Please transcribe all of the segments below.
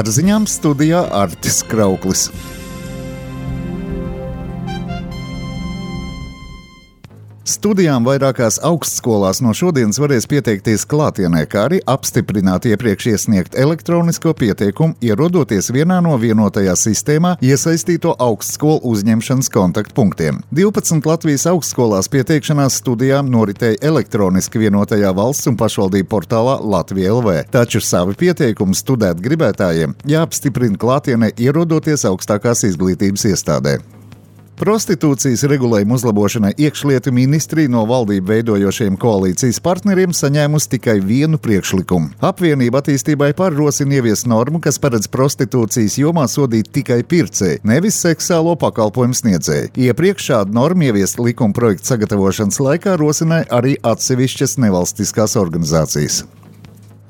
ar ziņām studijā Artis Krauklis. Studijām vairākās augstskolās no šodienas varēs pieteikties klātienē, kā arī apstiprināt iepriekš iesniegt elektronisko pieteikumu, ierodoties vienā no vienotajā sistēmā iesaistīto augstskolu uzņemšanas kontaktpunktiem. 12 Latvijas augstskolās pieteikšanās studijām noritēja elektroniski vienotajā valsts un pašvaldību portālā Latvija LV, taču savi pieteikumi studēt gribētājiem jāapstiprina klātienē, ierodoties augstākās izglītības iestādē. Prostitūcijas regulējuma uzlabošanai iekšlietu ministrija no valdību veidojošiem koalīcijas partneriem saņēmusi tikai vienu priekšlikumu. Apvienība attīstībai rosina ieviest normu, kas paredz prostitūcijas jomā sodīt tikai pircēju, nevis seksuālo pakalpojumu sniedzēju. Iepriekš šādu normu ieviest likuma projekta sagatavošanas laikā rosināja arī atsevišķas nevalstiskās organizācijas.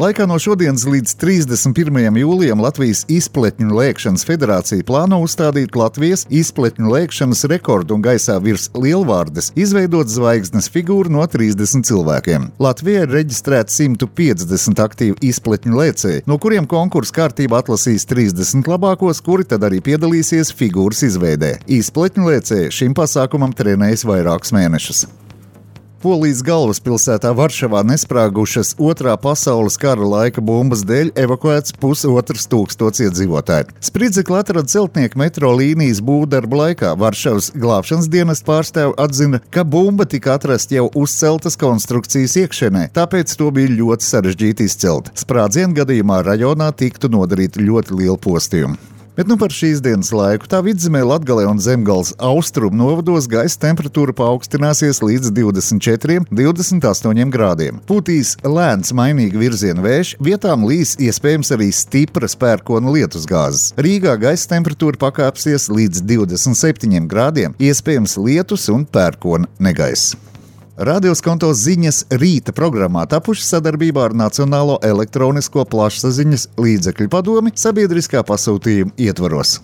Laikā no šodienas līdz 31. jūlijam Latvijas izpletņu lēkšanas federācija plāno uzstādīt Latvijas izpletņu lēkšanas rekordu un gaisā virs lielvārdes izveidot zvaigznes figūru no 30 cilvēkiem. Latvijā ir reģistrēti 150 aktīvi izpletņu lēcēji, no kuriem konkursa kārtībā atlasīs 30 labākos, kuri tad arī piedalīsies figūras izveidē. Izpletņu lēcēji šim pasākumam trenējas vairākus mēnešus. Polijas galvaspilsētā Varšavā nesprāgušas Otrā pasaules kara laika bumbas dēļ evakuēts 1500 iedzīvotāji. Spridzekli atrada celtnieku metro līnijas būvdarbu laikā. Varšavas glābšanas dienesta pārstāve atzina, ka bumba tika atrasta jau uzceltas konstrukcijas iekšienē, tāpēc to bija ļoti sarežģīti izcelt. Sprādzienu gadījumā rajonā tiktu nodarīti ļoti lieli postījumi. Bet par šīs dienas laiku tā Vidzemē, Latgalē un Zemgales austrumu novados gaisa temperatūra paaugstināsies līdz 24–28 grādiem. Pūtīs lēns mainīga virziena vējš, vietām līs iespējams arī stipras pērkona lietusgāzes. Rīgā gaisa temperatūra pakāpsies līdz 27 grādiem, iespējams lietus un pērkona negaiss. Radioskonto ziņas rīta programmā tapuši sadarbībā ar Nacionālo elektronisko plašsaziņas līdzekļu padomi sabiedriskā pasūtījuma ietvaros.